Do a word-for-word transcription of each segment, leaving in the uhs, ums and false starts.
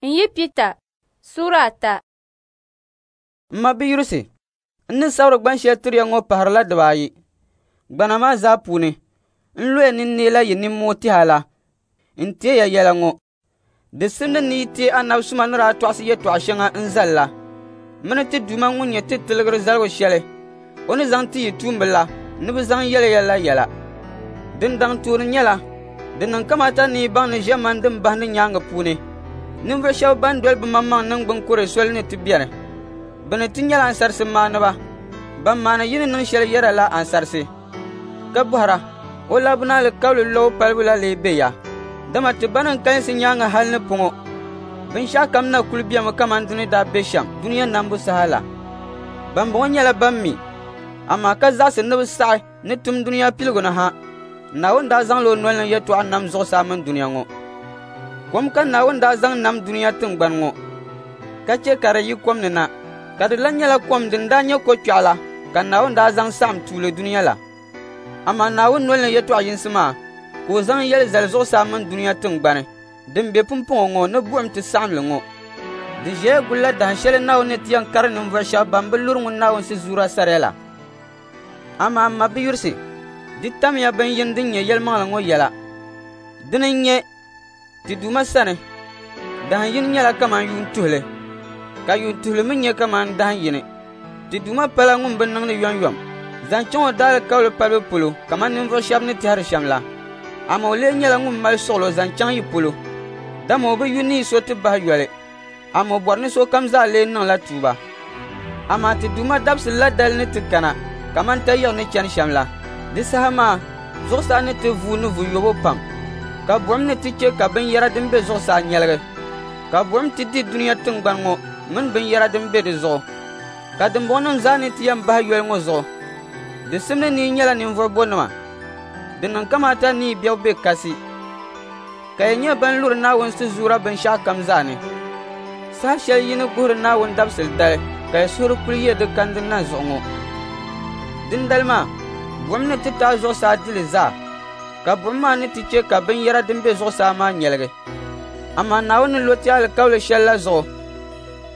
N yi Pita suura ata. M mabiyurisi, n ni sabiri gban shɛli tiri ya ŋɔ pahirila dibaayi. Gbana maa zaa puuni, n loya ni n neela yi nimmoo tɛha la n teei ya yɛla ŋɔ. Di simdi ni yi teei anabi suma ni daa tɔɣisi yɛtɔɣa shɛŋa n-zal la mini ti Duuma ŋun nyɛ ti Tiligir zaligu shɛli o ni zaŋ ti yi tuumba la ni bɛ zaŋ yɛli ya la yɛla. Din daŋ tooni nyɛla, di niŋ kamaata ni yi baŋ ni ʒiɛmani din bahindi nyaaŋa puuni, ninvuɣ shɛba ban doli bɛmaŋmaŋ niŋgbuŋ kore soli ni ti beni. Bɛ ni ti nyɛla ansarisi maaniba, ban maani yi ni niŋ shɛli yɛda la ansarisi, ka bɔhira, o labina alikauli lɔbu palibu la lee be ya? Dama ti banim kalinsi nyaaŋa hal ni pɔŋɔ, binshɛɣukam na kul bemi kaman di ni daa be shɛm dunia nambu saha la. Bambɔŋɔ nyɛla ban mi, amaa ka zaɣisi ni bɛ saɣi ni tum dunia piligu ni ha, Naawuni daa zaŋla o noli ni yɛtɔɣa nam zuɣusaa mini dunia ŋɔ. Kom ka Naawuni daa zaŋ nam dunia tiŋgbani ŋɔ, ka chɛ ka di yi kom ni na, ka di lan nyɛla kom din daa nyɛ kokpɛɣu la ka Naawuni daa zaŋ saɣim tuuli dunia la. Amaa Naawuni noli ni yɛtɔɣ yinsi maa ka o zaŋ yɛli zali zuɣusaa mini dunia tiŋgbani din be pumpɔŋɔ ŋɔ ni buɣim ti saɣim li ŋɔ. Di ʒiɛya gulila dahin shɛli Naawuni ni ti yɛn kari ninvuɣ shɛba ban bi luri ŋun Naawuni sizuura sariya la. Amaa m mabiyurisi, di tamya bin yini din nyɛ yɛlimaŋli ŋɔ yɛla. Dini n-nyɛ, ti Duuma sani, dahin yini nyɛla kaman yuun tuhili, ka yuun tuhili mi nyɛ kaman dahin yini. Ti Duuma pala ŋun bi niŋdi yomyom zaŋ chaŋ o daalikauli palibu polo kaman ninvuɣ shɛba ni tɛhiri shɛm la. Amaa o lee nyɛla ŋun mali suɣilo zaŋ chaŋ yi polo, dama o bi yu ni yi so ti bahi yoli, amaa o bɔri ni sokam zaa lee niŋla tuuba. Amaa ti Duuma dabisili la dali ni ti kana kaman tayiɣ ni chani shɛm la. Di saha maa zuɣusaa ni ti vuui ni vuyobo pam, ka buɣim ni ti chɛ ka binyɛra din be zuɣusaa nyɛligi, ka buɣim ti di dunia tiŋgbani ŋɔ mini binyɛra din be di zuɣu, ka dimbɔŋɔnim zaa ni ti yɛn bahi yoli ŋɔ zuɣu. Di simdi ni yi nyɛla ninvuɣ bɔnima. Di niŋ kamaata ni yi bebu be kasi, ka yi nyɛ ban luri Naawuni sizuura binshɛɣukam zaa ni. Saha shɛli yi ni guhiri Naawuni dabisili dali ka yi suhuri kul ye di kandi na zuɣu ŋɔ. Dindali maa, buɣim ni ti taai zuɣusaa di li zaa, ka buɣim maa ni ti chɛ ka binyɛra din be zuɣusaa maa nyɛligi. Amaa Naawuni ni lo ti alikauli shɛli la zuɣu,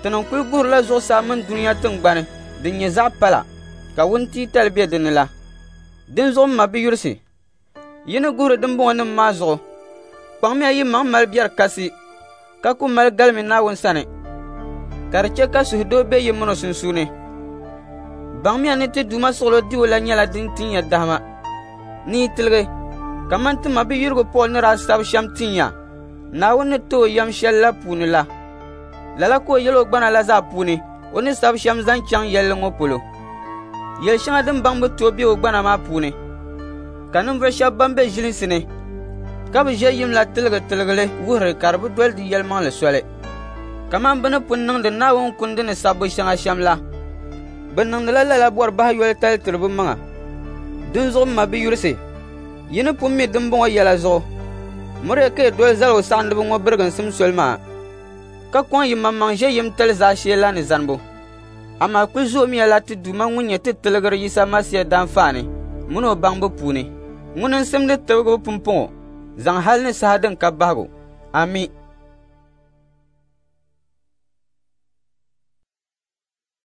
tinim kul guhirila zuɣusaa mini dunia tiŋgbani din nyɛ zaɣ pala, ka wuntiitali be di ni la. Dinzuɣu m mabiyurisi, yi ni guhiri dimbɔŋɔnim maa zuɣu, kpaŋmiya yi maŋ mali biɛri kasi, ka ku mali galimi Naawuni sani, ka di chɛ ka suhudoo be yi min o sunsuuni. Baŋmiya ni ti Duuma suɣilo dibu la nyɛla din tin ya dahima, ni yi tiligi, kaman ti mabiyurigu Pool ni daa sabi shɛm tin ya Naawuni ni ti o yɛm shɛli la puuni la. Lala ka o yɛl o gbana la zaa puuni o ni sabi shɛm zaŋ chaŋ yɛlli ŋɔ polo. Yɛl shɛŋa din baŋ bi tooi be o gbana maa puuni, ka ninvuɣ shɛba ban be ʒilinsi ni ka bi ʒe yim la tiligi tiligili wuhiri ka di bi doli di yɛlimaŋli soli. Kaman bɛ ni pun niŋdi Naawuni kundi ni sabbu shɛŋa shɛm la, bɛ niŋdila lala bɔri bahi yoli tali tiri bɛ maŋa. Dinzuɣu m mabiyurisi, yi ni pun mi dimbɔŋɔ yɛla zuɣu, miriya ka yi doli zaligu saɣindiba ŋɔ biriginsim soli maa, ka kɔŋ yi maŋmaŋ ʒe yimtali zaashee la ni zanibu. Amaa kul zoomiya la ti Duuma ŋun nyɛ ti Tiligir Yisa Masia daanfaani min o baŋbu puuni. Ŋuni n-simdi tibigibu pumpɔŋɔ zaŋ hal ni saha din ka bahigu. Ami.